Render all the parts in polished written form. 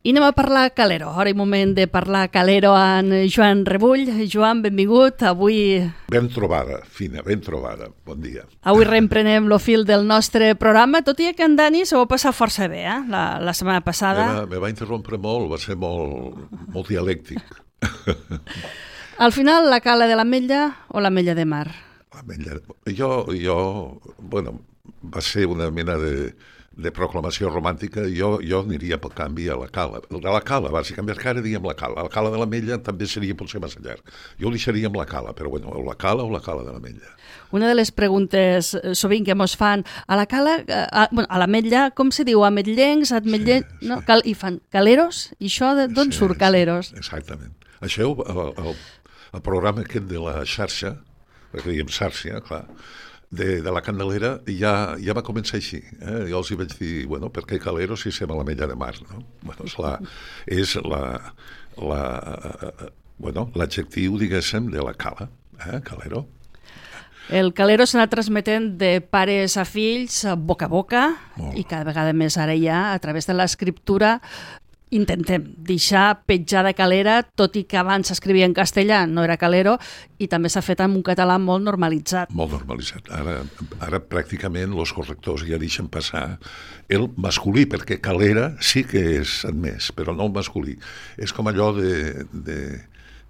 I anem a parlar calero. Ara és moment de parlar calero amb Joan Rebull. Joan, benvingut. Avui... Ben trobada, Fina, ben trobada. Bon dia. Avui reemprenem el fil del nostre programa, tot i que en Dani s'ho va passar força bé, la setmana passada. Me va interrompre molt, va ser molt dialèctic. Al final, la cala de l'Ametlla o l'Ametlla de Mar? L'Ametlla... Bueno, va ser una mena de proclamació romàntica. Jo aniria pel canvi a la cala. La cala, bàsicament, perquè ara diem la cala. La cala de l'Ametlla també seria potser massa llarg. Jo deixaria amb la cala, però bueno, la cala o la cala de l'Ametlla. Una de les preguntes sovint que mos fan a la cala, a l'Ametlla, com se diu? Ametllencs, ametllencs... Sí. No? I fan caleros? I això d'on surt caleros? Sí, exactament. Això, el programa aquest de la xarxa, perquè diem xarxa, clar, de la Candelera ja va començar així. Jo els hi vaig dir, bueno, per què calero si som a l'Ametlla de Mar, no? Bueno, és l'adjectiu, diguéssim, de la cala, calero. El calero s'ha anat transmetent de pares a fills, boca a boca, i cada vegada més ara ja, a través de l'escriptura, intentem deixar petjada calera, tot i que abans s'escrivia en castellà, no era calero, i també s'ha fet amb un català molt normalitzat. Molt normalitzat. Ara pràcticament els correctors ja deixen passar el masculí, perquè calera sí que és admès, però no el masculí. És com allò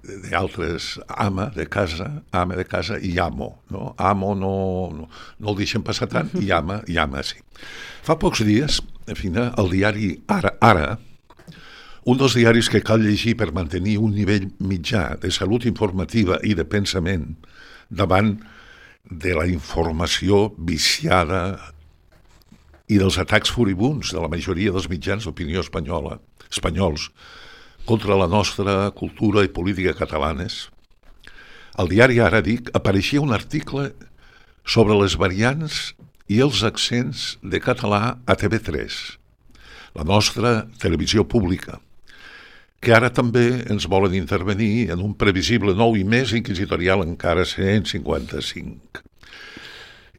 d'altres ama de casa i amo, no? Amo no el deixen passar tant, i ama sí. Fa pocs dies, el diari Ara, un dels diaris que cal llegir per mantenir un nivell mitjà de salut informativa i de pensament davant de la informació viciada i dels atacs furibuns de la majoria dels mitjans d'opinió espanyols contra la nostra cultura i política catalanes. Al diari Ara, apareixia un article sobre les variants i els accents de català a TV3, la nostra televisió pública, que ara també ens volen intervenir en un previsible nou i més inquisitorial encara 155.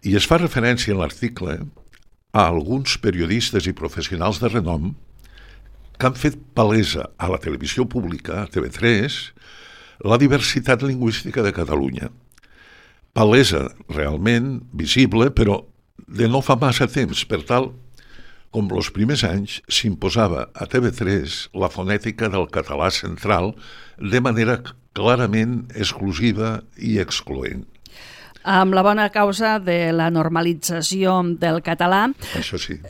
I es fa referència en l'article a alguns periodistes i professionals de renom que han fet palesa a la televisió pública, a TV3, la diversitat lingüística de Catalunya. Palesa realment visible, però de no fa massa temps, per tal com els primers anys s'imposava a TV3 la fonètica del català central de manera clarament exclusiva i excloent. Amb la bona causa de la normalització del català, això sí,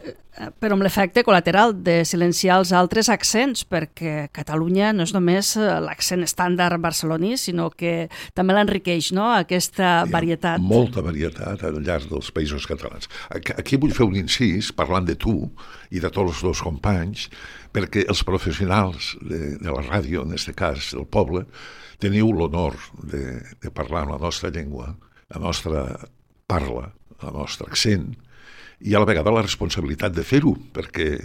però amb l'efecte col·lateral de silenciar els altres accents, perquè Catalunya no és només l'accent estàndard barceloní, sinó que també l'enriqueix, no?, aquesta varietat. Molta varietat al llarg dels països catalans. Aquí vull fer un incís, parlant de tu i de tots els teus companys, perquè els professionals de la ràdio, en aquest cas del poble, teniu l'honor de parlar en la nostra llengua, la nostra parla, el nostre accent, i a la vegada la responsabilitat de fer-ho, perquè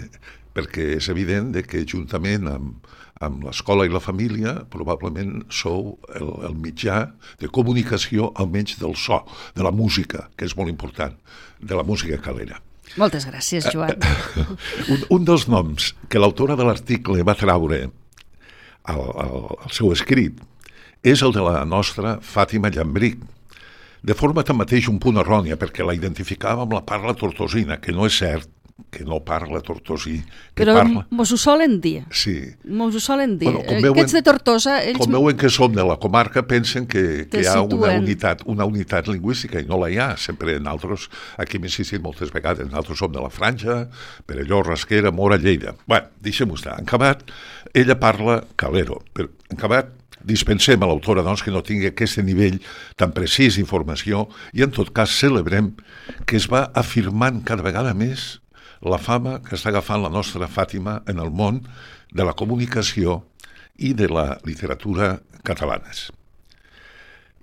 és evident que juntament amb l'escola i la família probablement sou el mitjà de comunicació, almenys del so, de la música, que és molt important, de la música calera. Moltes gràcies, Joan. Un dels noms que l'autora de l'article va traure al seu escrit és el de la nostra Fàtima Llambric, de forma tanmateix un punt errònia, perquè la identificava amb la parla tortosina, que no és cert, que no parla tortosí. Però mos ho solen dir. Sí. Mos ho solen dir. Aquests de Tortosa... Com veuen que som de la comarca, pensen que hi ha una unitat lingüística, i no la hi ha. Sempre nosaltres, aquí hem insistit moltes vegades, nosaltres som de la Franja, Perelló, Rasquera, Mora, Lleida. Bé, deixem-ho estar. En acabat, ella parla calero, però en acabat dispensem a l'autora, doncs, que no tingui aquest nivell tan precís d'informació, i en tot cas celebrem que es va afirmant cada vegada més la fama que està agafant la nostra Fàtima en el món de la comunicació i de la literatura catalanes.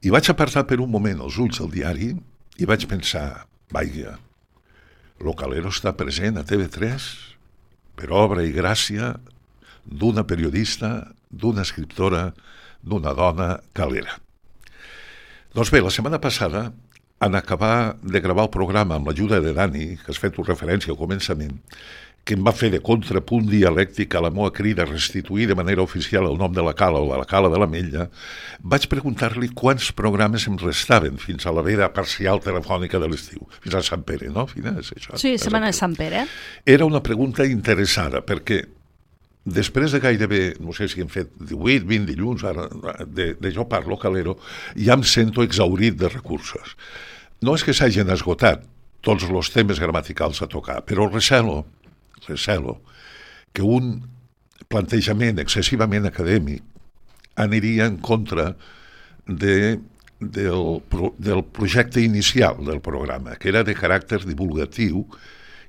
I vaig apartar per un moment els ulls del diari i vaig pensar, vaja, lo calero està present a TV3 per obra i gràcia d'una periodista, d'una escriptora, d'una dona calera. Doncs bé, la setmana passada, en acabar de gravar el programa amb l'ajuda de Dani, que has fet referència al començament, que em va fer de contrapunt dialèctic a la meva crida a restituir de manera oficial el nom de la cala o de la cala de l'Ametlla, vaig preguntar-li quants programes em restaven fins a la veda parcial telefònica de l'estiu, fins a Sant Pere, no? Fins això, Sí, Setmana de Sant Pere. Era una pregunta interessada, perquè després de gairebé, no sé si hem fet 18, 20 dilluns, ara, de Jo Parlo, Calero, ja em sento exhaurit de recursos. No és que s'hagin esgotat tots els temes gramaticals a tocar, però recelo que un plantejament excessivament acadèmic aniria en contra del projecte inicial del programa, que era de caràcter divulgatiu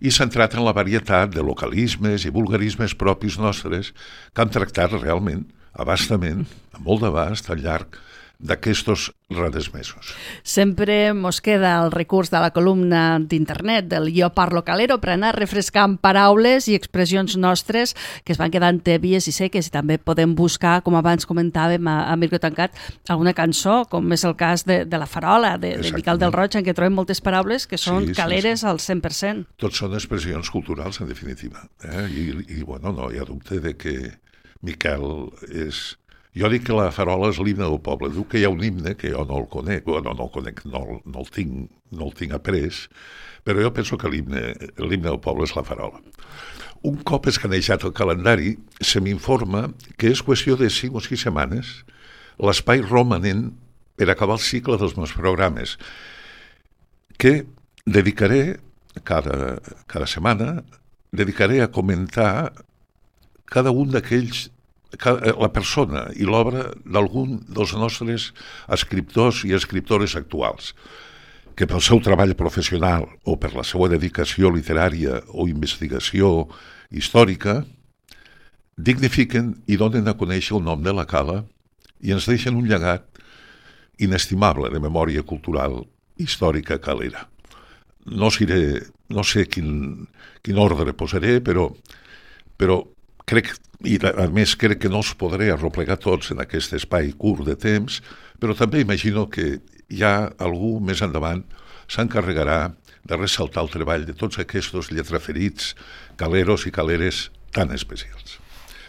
i centrat en la varietat de localismes i vulgarismes propis nostres que han tractat realment, abastament, amb molt d'abast, al llarg d'aquestos rares mesos. Sempre mos queda el recurs de la columna d'internet del Jo Parlo Calero per anar refrescant paraules i expressions nostres que es van quedant tèbies i seques, i també podem buscar, com abans comentàvem a micro tancat, alguna cançó, com és el cas de La Farola, de Miquel del Roig, en què trobem moltes paraules que són caleres al 100%. Tots són expressions culturals, en definitiva. I bueno, no hi ha dubte de que Miquel és... Jo dic que La Farola és l'himne del poble. Diu que hi ha un himne que jo no el conec, no el tinc après, però jo penso que l'himne del poble és La Farola. Un cop escanejat el calendari, se m'informa que és qüestió de 5 o 6 setmanes l'espai romanent per acabar el cicle dels meus programes, que dedicaré, cada setmana, a comentar cada un d'aquells, la persona i l'obra d'algun dels nostres escriptors i escriptores actuals, que pel seu treball professional o per la seva dedicació literària o investigació històrica dignifiquen i donen a conèixer el nom de la cala i ens deixen un llegat inestimable de memòria cultural històrica calera. No sé quin ordre posaré, però crec, i a més crec que no els podré arreplegar tots en aquest espai curt de temps, però també imagino que ja algú més endavant s'encarregarà de ressaltar el treball de tots aquests lletraferits, caleros i caleres tan especials.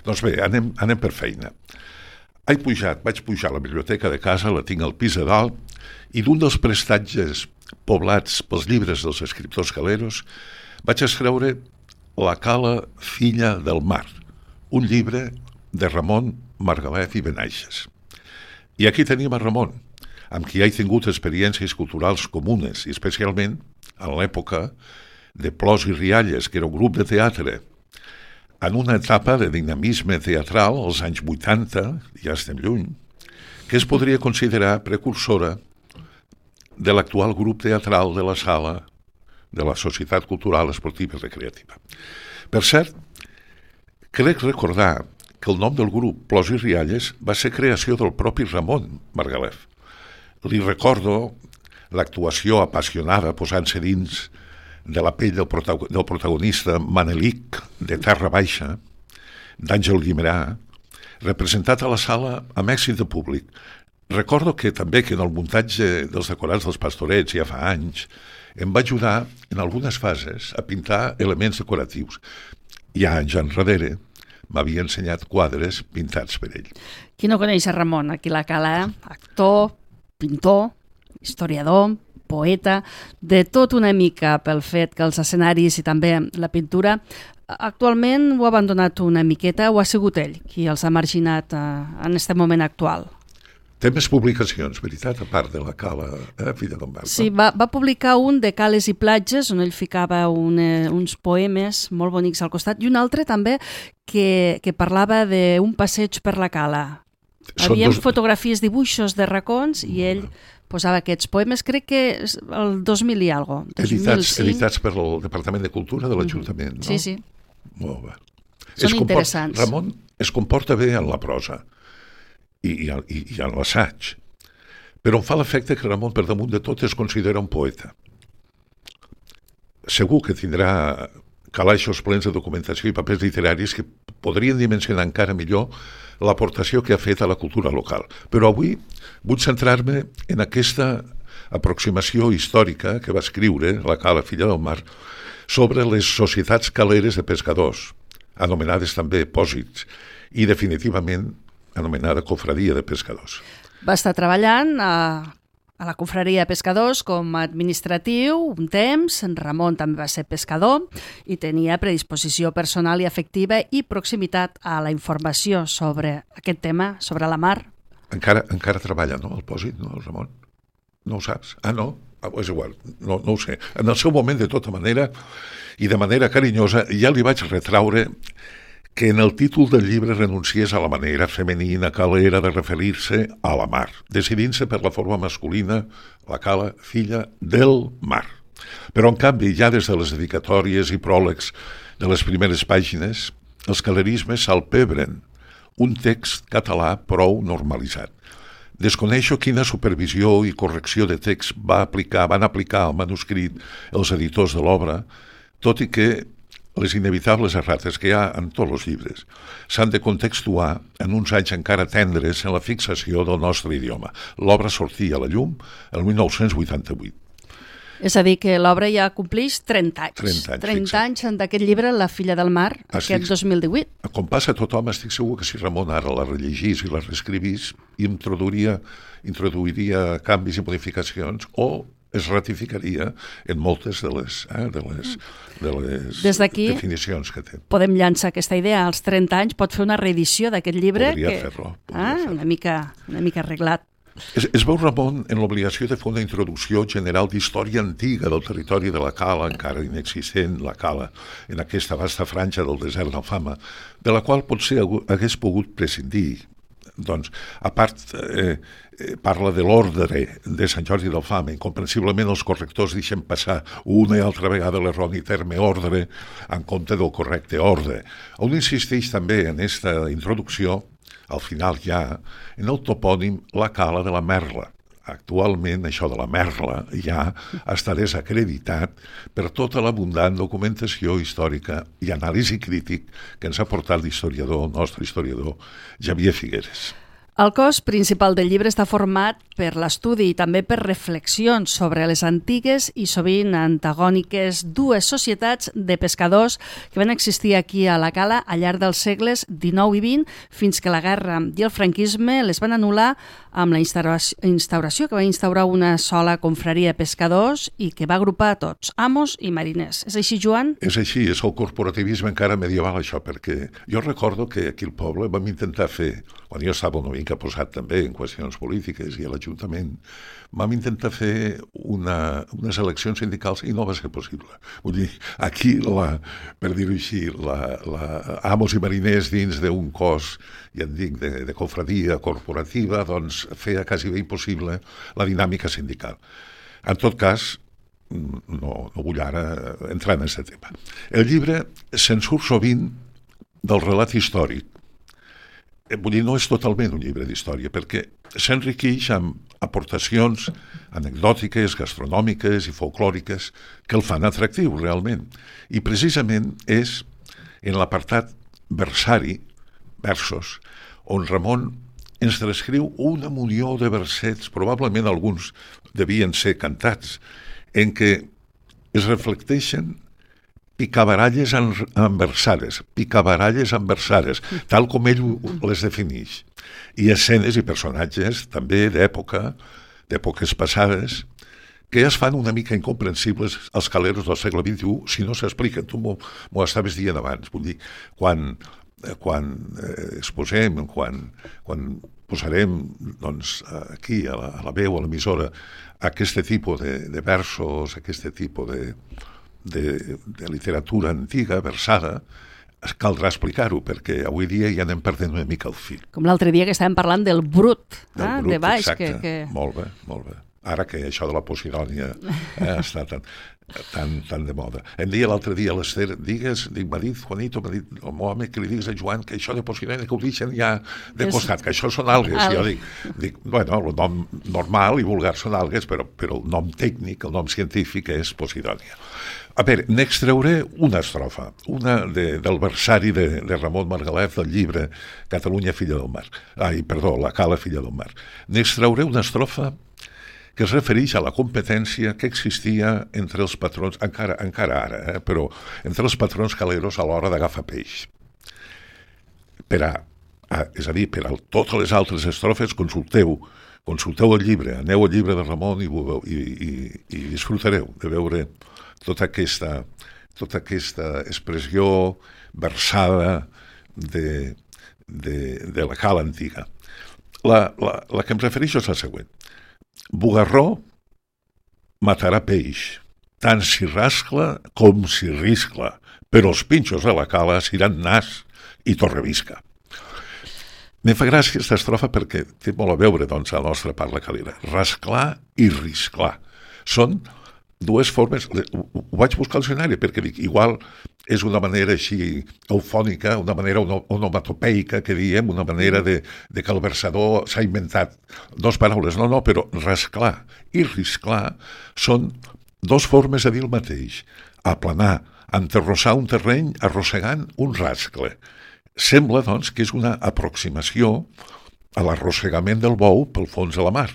Doncs bé, anem per feina. Vaig pujar a la biblioteca de casa, la tinc al pis de dalt, i d'un dels prestatges poblats pels llibres dels escriptors caleros vaig extreure La cala filla del mar, un llibre de Ramon Margalef i Benaixes. I aquí tenim a Ramon, amb qui he tingut experiències culturals comunes, i especialment en l'època de Plors i Rialles, que era un grup de teatre, en una etapa de dinamisme teatral, als anys 80, ja estem lluny, que es podria considerar precursora de l'actual grup teatral de la Sala de la Societat Cultural Esportiva i Recreativa. Per cert, crec recordar que el nom del grup Plors i Rialles va ser creació del propi Ramon Margalef. Li recordo l'actuació apassionada posant-se dins de la pell del protagonista Manelic de Terra Baixa, d'Àngel Guimerà, representat a la sala amb èxit de públic. Recordo que també que en el muntatge dels decorats dels Pastorets ja fa anys em va ajudar en algunes fases a pintar elements decoratius. Ja anys enrere m'havia ensenyat quadres pintats per ell. Qui no coneix a Ramon? Aquí la cala, actor, pintor, historiador, poeta, de tot una mica pel fet que els escenaris i també la pintura actualment ho ha abandonat una miqueta o ha sigut ell qui els ha marginat en aquest moment actual? Té més publicacions, veritat, a part de la cala, filla d'en Barba. Sí, va publicar un de Cales i platges, on ell ficava uns poemes molt bonics al costat, i un altre també que parlava d'un passeig per la cala. Havia fotografies, dibuixos de racons, i ell posava aquests poemes, crec que el 2000 i algo. Editats per el Departament de Cultura de l'Ajuntament, no? Sí. Molt bé. Són interessants. Ramon es comporta bé en la prosa i en l'assaig, però em fa l'efecte que Ramon, per damunt de tot, es considera un poeta. Segur que tindrà calaixos plens de documentació i papers literaris que podrien dimensionar encara millor l'aportació que ha fet a la cultura local. Però avui vull centrar-me en aquesta aproximació històrica que va escriure la cala filla del mar, sobre les societats caleres de pescadors, anomenades també pòsits, i definitivament anomenada Cofradia de Pescadors. Va estar treballant a la Confraria de Pescadors com a administratiu un temps. En Ramon també va ser pescador i tenia predisposició personal i afectiva i proximitat a la informació sobre aquest tema, sobre la mar. Encara treballa, no, el pòsit, no, el Ramon? No ho saps? Ah, no? És igual, no ho sé. En el seu moment, de tota manera, i de manera carinyosa, ja li vaig retraure que en el títol del llibre renunciés a la manera femenina calera de referir-se a la mar, decidint-se per la forma masculina, la cala, filla del mar. Però, en canvi, ja des de les dedicatòries i pròlegs de les primeres pàgines, els calerismes salpebren un text català prou normalitzat. Desconeixo quina supervisió i correcció de text van aplicar al manuscrit els editors de l'obra, tot i que les inevitables errates que hi ha en tots els llibres s'han de contextuar en uns anys encara tendres en la fixació del nostre idioma. L'obra sortia a la llum el 1988. És a dir, que l'obra ja compleix 30 anys. 30 anys d'aquest llibre, La filla del mar, aquest 2018. Com passa a tothom, estic segur que si Ramon ara la rellegís i la reescrivís, introduiria canvis i modificacions o es ratificaria en moltes de les definicions que té. Podem llançar aquesta idea. Als 30 anys pot fer una reedició d'aquest llibre. Podria fer-lo. Una mica arreglat. Es veu Ramon en l'obligació de fer una introducció general d'història antiga del territori de la Cala, encara inexistent, la Cala, en aquesta vasta franja del desert d'Alfama, de la qual potser hagués pogut prescindir. Doncs, a part, parla de l'ordre de Sant Jordi d'Alfama. Incomprensiblement els correctors deixen passar una i altra vegada l'erroni terme ordre en compte del correcte ordre. On insisteix també en aquesta introducció, al final ja, en el topònim la Cala de la Merla. Actualment això de la Merla ja està desacreditat per tota l'abundant documentació històrica i anàlisi crític que ens ha portat el nostre historiador Xavier Figueres. El cos principal del llibre està format per l'estudi i també per reflexions sobre les antigues i sovint antagòniques dues societats de pescadors que van existir aquí a la Cala al llarg dels segles XIX i XX fins que la guerra i el franquisme les van anul·lar amb la instauració que va instaurar una sola confraria de pescadors i que va agrupar a tots, amos i mariners. És així, Joan? És així, és el corporativisme encara medieval, això, perquè jo recordo que aquí al poble vam intentar fer, quan jo estava una mica posat també en qüestions polítiques i a l'Ajuntament, vam intentar fer unes eleccions sindicals i no va ser possible. Vull dir, aquí, per dir-ho així, amos i mariners dins d'un cos, ja et dic, de confradia corporativa, doncs feia quasi bé impossible la dinàmica sindical. En tot cas, no vull ara entrar en aquest tema. El llibre se'n surt sovint del relat històric. Vull dir, no és totalment un llibre d'història, perquè s'enriqueix amb aportacions anecdòtiques, gastronòmiques i folclòriques que el fan atractiu, realment. I precisament és en l'apartat versari, versos, on Ramon ens descriu una munió de versets, probablement alguns devien ser cantats, en què es reflecteixen picabaralles enversades, tal com ell les defineix. I escenes i personatges també d'èpoques passades, que es fan una mica incomprensibles als caleros del segle XXI si no s'expliquen. Tu m'ho estaves dient abans. Vull dir, quan exposem, quan posarem doncs, aquí a la veu, a l'emissora, aquest tipus de versos, aquest tipus de literatura antiga, versada, caldrà explicar-ho, perquè avui dia ja anem perdent una mica el fil. Com l'altre dia que estàvem parlant del brut, de baix. Exacte, molt bé. Ara que això de la Posidònia està tan de moda. Em deia l'altre dia a l'Ester, m'ha dit Juanito, m'ha dit el meu home, que li digues a Joan que això de Posidònia que ho deixen ja de costat, que això són algues. Jo dic, bueno, el nom normal i vulgar són algues, però el nom tècnic, el nom científic és Posidònia. A veure, n'extrauré una estrofa, una del versari de Ramon Margalef del llibre Catalunya, filla del mar. La Cala, filla del mar. N'extrauré una estrofa que es refereix a la competència que existia entre els patrons, encara ara, però entre els patrons caleros a l'hora d'agafar peix. És a dir, per a totes les altres estrofes consulteu el llibre, aneu al llibre de Ramon i disfrutareu de veure tota aquesta expressió versada de la cala antiga. La que em refereixo és la següent. Bugarró matarà peix, tant si rascla com si riscla, però els pinxos de la cala seran nas i torrevisca. Me fa gràcia aquesta estrofa perquè té molt a veure, doncs, a la nostra parla calera. Rasclar i risclar. Són dues formes... Ho vaig buscar al diccionari perquè dic, igual és una manera així eufònica, una manera onomatopeica, que diem, una manera de que el versador s'ha inventat dues paraules. No, però rasclar i risclar són dues formes de dir el mateix. Aplanar, enterrossar un terreny arrossegant un rascle. Sembla, doncs, que és una aproximació a l'arrossegament del bou pel fons de la mar.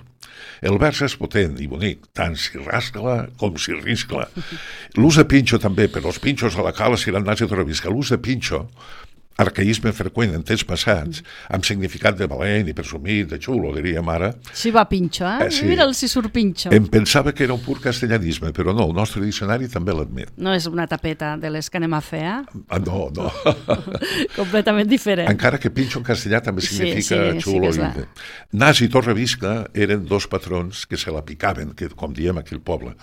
El vers és potent i bonic, tant si rascla com si riscla. L'ús de pinxo també, però els pinxos a la cala seran nas i torrevisca. L'ús de pinxo, arcaïsme freqüent en temps passats, amb significat de valent i presumit, de xulo, diríem ara. Sí, va pinxo, Sí. Mira'l si surt pinxo. Em pensava que era un pur castellanisme, però no, el nostre diccionari també l'admet. No és una tapeta de les que anem a fer, No. Completament diferent. Encara que pinxo en castellà també significa xulo. Sí, Nas i Torrevisca eren dos patrons que se la picaven, que, com diem aquí al poble,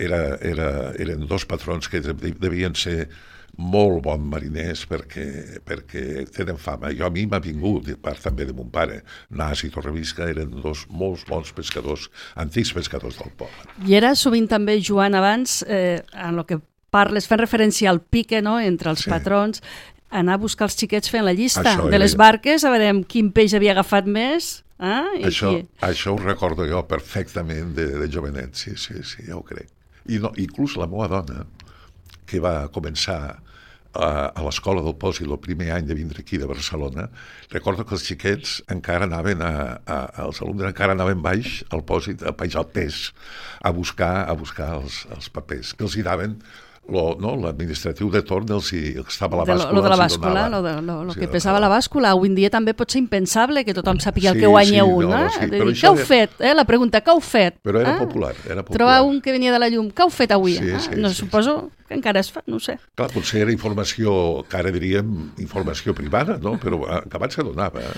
eren dos patrons que devien ser molt bons mariners perquè tenen fama. A mi m'ha vingut, de part també de mon pare, Nas i Torrevisca eren dos molt bons pescadors, antics pescadors del poble. I era sovint també, Joan, abans, en el que parles, fent referència al pique, no?, entre els patrons, anar a buscar els xiquets fent la llista de les barques, a veure quin peix havia agafat més. Això ho recordo jo perfectament de jovenet, sí, ja ho crec. I inclús la meva dona, que va començar a l'escola del Pòsit el primer any de vindre aquí de Barcelona, recordo que els xiquets encara anaven els alumnes encara anaven baix al Pòsit, baix al pes, a buscar els papers, que els hi daven l'administratiu de torn estava a la bàscula. Lo de la bàscula, lo que pesava la bàscula. Avui en dia també pot ser impensable que tothom sàpiga el que guanya un. Què heu fet? La pregunta, què heu fet? Però era popular. Trobar un que venia de la llum. Què heu fet avui? Suposo que encara es fa, no ho sé. Clar, potser era informació, que ara diríem informació privada, no? Però abans se donava.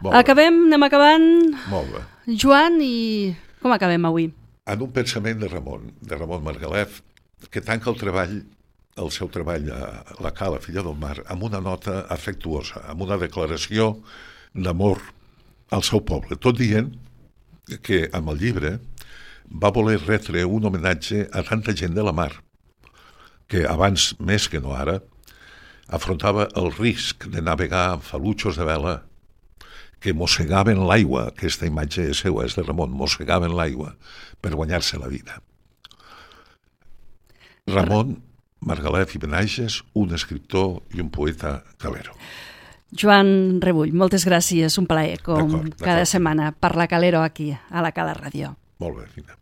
Anem acabant. Molt bé. Joan, i com acabem avui? En un pensament de Ramon Margalef, que tanca el seu treball a la cala Filla del Mar amb una nota afectuosa, amb una declaració d'amor al seu poble, tot dient que amb el llibre va voler retre un homenatge a tanta gent de la mar que abans, més que no ara, afrontava el risc de navegar amb falutxos de vela que mossegaven l'aigua. Aquesta imatge seva és de Ramon, mossegaven l'aigua per guanyar-se la vida. Ramon Margalef i Benages, un escriptor i un poeta calero. Joan Rebull, moltes gràcies, un plaer, com cada setmana, parlar calero aquí, a la Cala Ràdio. Molt bé, Fina.